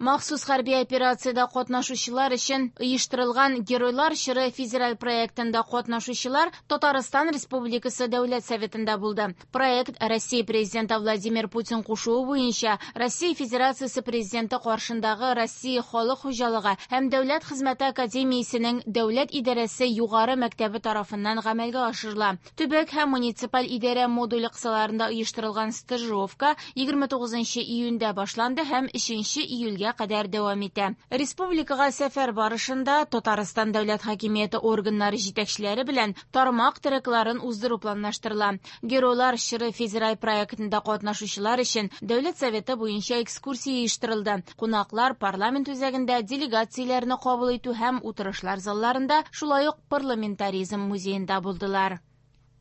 Махсус хәрби операциядә катнашучылар өчен оештырылган Геройлар чоры федераль проектында катнашучылар Татарстан Республикасы Дәүләт Советында булды. Проект Россия Президенты Владимир Путин кушуы буенча Россия Федерациясе Президенты каршындагы Россия халык хуҗалыгы һәм дәүләт хезмәте академиясенең Дәүләт идарәсе югары мәктәбе тарафыннан гамәлгә ашырыла. Төбәк һәм муниципаль идарә модуле кысаларында оештырылган стажировка 29 июньдә башланды һәм 3 июльгә кадәр дәвам итә. Республикага сәфәр барышында Татарстан дәүләт хакимияте органнары җитәкчеләре белән тармак трекларын уздыру планлаштырыла. Геройлар чоры федераль проектында катнашучылар өчен Дәүләт Советы буенча экскурсия оештырылды. Кунаклар парламент үзәгендә делегацияләрне кабул итү һәм утырышлар залларында, шулай ук парламентаризм музеенда булдылар.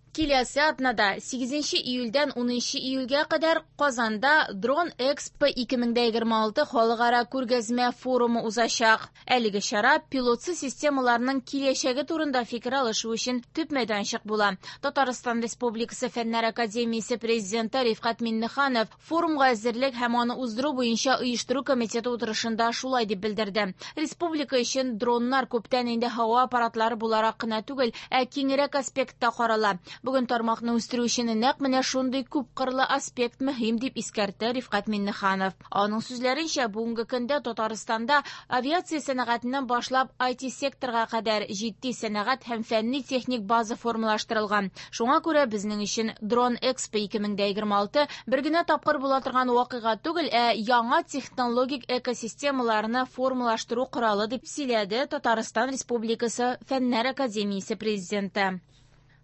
Киләсе атнада 8 июльдән 10 июльгә кадәр Казанда Дрон Экспо 2026 халыкара күргәзмә форумы узачак. Әлеге чара пилотсыз системаларның киләчәге турында фикер алышу өчен төп мәйданчык була. Татарстан Республикасы Фәннәр академиясе президенты Рифкать Миңнеханов форумга әзерлек һәм аны уздыру буенча оештыру комитеты утырышында шулай дип белдерде. Республика өчен дроннар күптән инде һава аппаратлары буларак кына түгел, ә киңрәк аспектта карала. Бүген тармакны үстерү өчен нәкъ менә шундый күпкырлы аспект мөһим, дип искәртте Рифкать Миңнеханов. Аның сүзләренчә, бүгенге көндә Татарстанда авиация сәнәгатеннән башлап IT-секторга кадәр җитди сәнәгать һәм фәнни-техник база формалаштырылган. Шуңа күрә безнең өчен Дрон Экспо 2026 бер генә тапкыр була торган вакыйга түгел, ә яңа технологик экосистемаларны формалаштыру коралы, дип сөйләде Татарстан Республикасы Фәннәр академиясе президенты.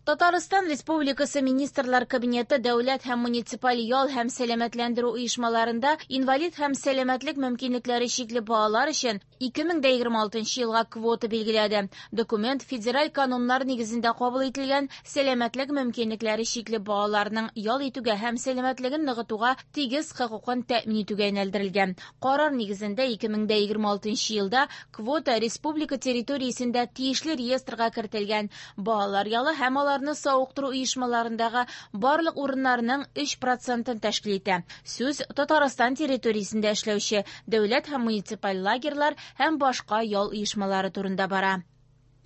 Татарстан Республикасы Министрлар Кабинеты дәүләт һәм муниципаль ял һәм сәламәтләндерү оешмаларында инвалид һәм сәламәтлек мөмкинлекләре чикле балалар өчен 2026 елга квота билгеләде. Документ федераль кануннар нигезендә кабул ителгән сәламәтлек мөмкинлекләре чикле балаларның ял итүгә һәм сәламәтлеген ныгытуга тигез хокукын тәэмин итүгә юнәлдерелгән. Карар нигезендә 2026 елда квота республика территориясендә тиешле реестрга кертелгән балалар ялы һәм аларны савыктыру оешмаларындагы барлык урыннарның 3 процентын тәшкил итә. Сүз Татарстан территориясендә эшләүче дәүләт һәм муниципаль лагерьлар һәм башка ял оешмалары турында бара.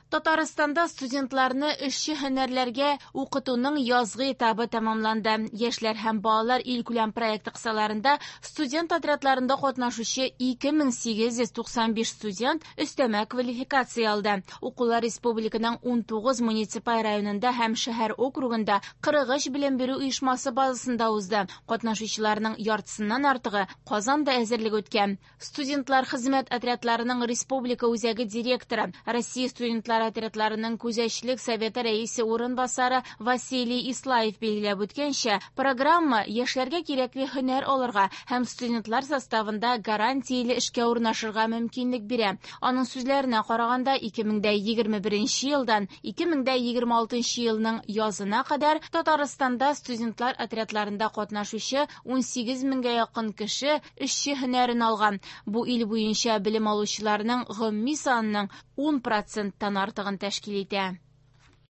Татарстанда студентларны эшче һөнәрләргә укытуның язгы этабы тәмамланды. Яшьләр һәм балалар илкүләм проекты кысаларында студент отрядларында катнашучы 2895 студент өстәмә квалификация алды. Укулар республиканың 19 муниципаль районында һәм шәһәр округында 43 белем бирү оешмасы базасында узды. Катнашучыларның яртысыннан артыгы Казанда әзерлек үткән. Студентлар хезмәт отрядларының республика үзәге директоры, Россия студентлар отрядларының күзәтчелек советы рәисе урынбасары Василий Ислаев билгеләп үткәнчә, программа яшьләргә кирәкле һөнәр алырга һәм студентлар составында гарантияле эшкә урнашырга мөмкинлек бирә. Аның сүзләренә караганда, 2021 елдан 2026 елның язына кадәр Татарстанда студентлар отрядларында катнашучы 18 меңгә якын кеше эшче һөнәрен алган. Бу ил буенча белем алучыларның гомуми санының 10 проценттан артыгын тәшкил итә.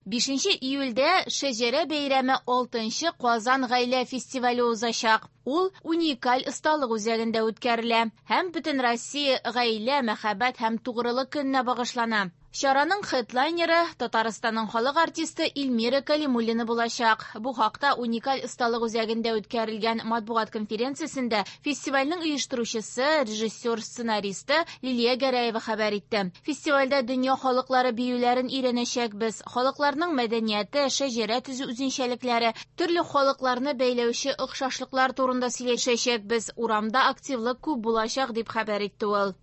5 июльдә Шәҗәрә бәйрәме 6 Казан гаилә фестивале узачак. Ул уникаль осталык үзәгендә үткәрелә һәм Бөтенроссия гаилә, мәхәббәт һәм тугрылык көненә багышлана. Чараның хедлайнеры Татарстанның халык артисты Эльмира Калимуллина булачак. Бу хакта уникаль осталык үзәгендә үткәрелгән матбугат конференциясендә фестивальнең оештыручысы, режиссер-сценаристы Лилия Гәрәева хәбәр итте. Фестивальдә дөнья халыклары биюләрен өйрәнәчәкбез. Халыкларның мәдәнияте, шәҗәрә төзү үзенчәлекләре, төрле халыкларны бәйләүче охшашлыклар турында сөйләшәчәкбез. Урамда активлык күп булачак, дип хәбәр итте ул.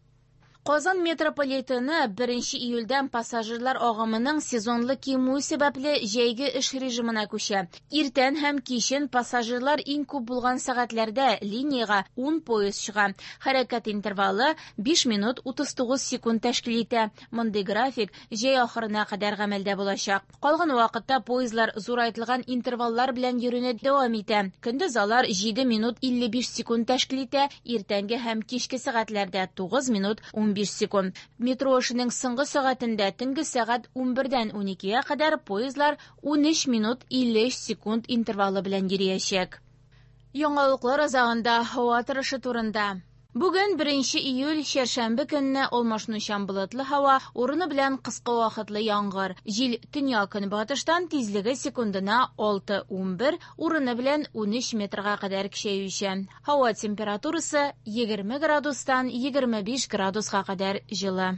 Казан метрополитены 1 июльдән пассажирлар агымының сезонлы кимүе сәбәпле җәйге эш режимына күчә. Иртән һәм кичен пассажирлар иң күп булган сәгатьләрдә линиягә 10 поезд чыга. Хәрәкәт интервалы 5 минут 39 секунд тәшкил итә. Мондый график җәй ахырына кадәр гамәлдә булачак. Калган вакытта поездлар зурайтылган интерваллар белән йөрүне дәвам итә. Көндез алар 7 минут 55 секунд тәшкил итә, иртәнге һәм кичке сәгатьләрдә 9 минут 15 секунд. Метро эшенең соңгы сәгатендә төнге сәгать 11-дән 12-гә кадәр поездлар 13 минут 53 секунд интервалы белән йөриячәк. Яңалыклар азагында һава торышы турында. Бүген, 1 июль, чәршәмбе көнне алмашынучан болытлы һава, урыны белән кыска вакытлы яңгыр. Җил төньяк-көнбатыштан, тизлеге секундына 6-11, урыны белән 13 метрга кадәр көчәючән. Һава температурасы 20 градустан 25 градуска кадәр җылы.